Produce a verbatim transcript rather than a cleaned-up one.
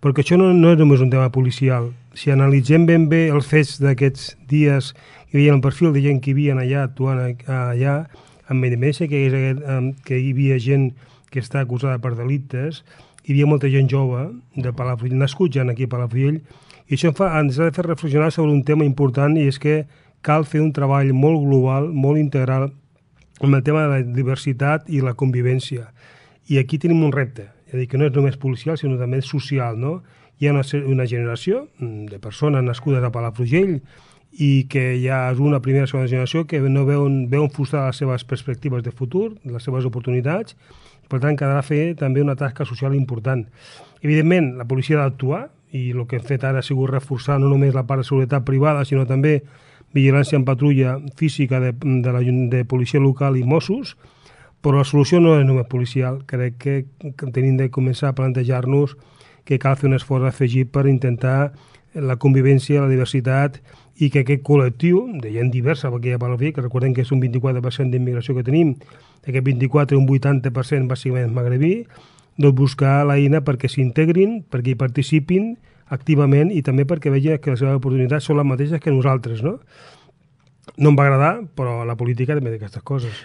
perquè això no, no és només un tema policial. Si analitzem ben bé els fets d'aquests dies i veiem el perfil de gent que hi havia allà, actuant allà, amb evidència que, que hi havia gent que està acusada per delictes, hi havia molta gent jove de Palafrugell, nascuts ja aquí a Palafrugell, i això fa, ens ha de fer reflexionar sobre un tema important, i és que cal fer un treball molt global, molt integral, amb el tema de la diversitat i la convivència. I aquí tenim un repte, és a dir, que no és només policial, sinó també social, no? Hi ha una, una generació de persones nascudes a Palafrugell i que ja és una primera segona generació que no veuen, veuen frustrades les seves perspectives de futur, les seves oportunitats, i per tant quedarà fer també una tasca social important. Evidentment, la policia ha d'actuar, i el que hem fet ara ha sigut reforçar no només la part de seguretat privada, sinó també vigilància en patrulla física de, de, la, de policia local i Mossos, però la solució no és només policial. Crec que, que tenim de començar a plantejar-nos que cal fer un esforç afegit per intentar la convivència, la diversitat, i que aquest col·lectiu de gent diversa, perquè hi ha Palafrugell, que recordem que és un vint-i-quatre per cent d'immigració que tenim, aquest vint-i-quatre, un vuitanta per cent bàsicament és magrebí, doncs buscar l'eina perquè s'integrin, perquè hi participin activament i també perquè vegin que les seves oportunitats són les mateixes que nosaltres, no? No em va agradar, però la política també té aquestes coses.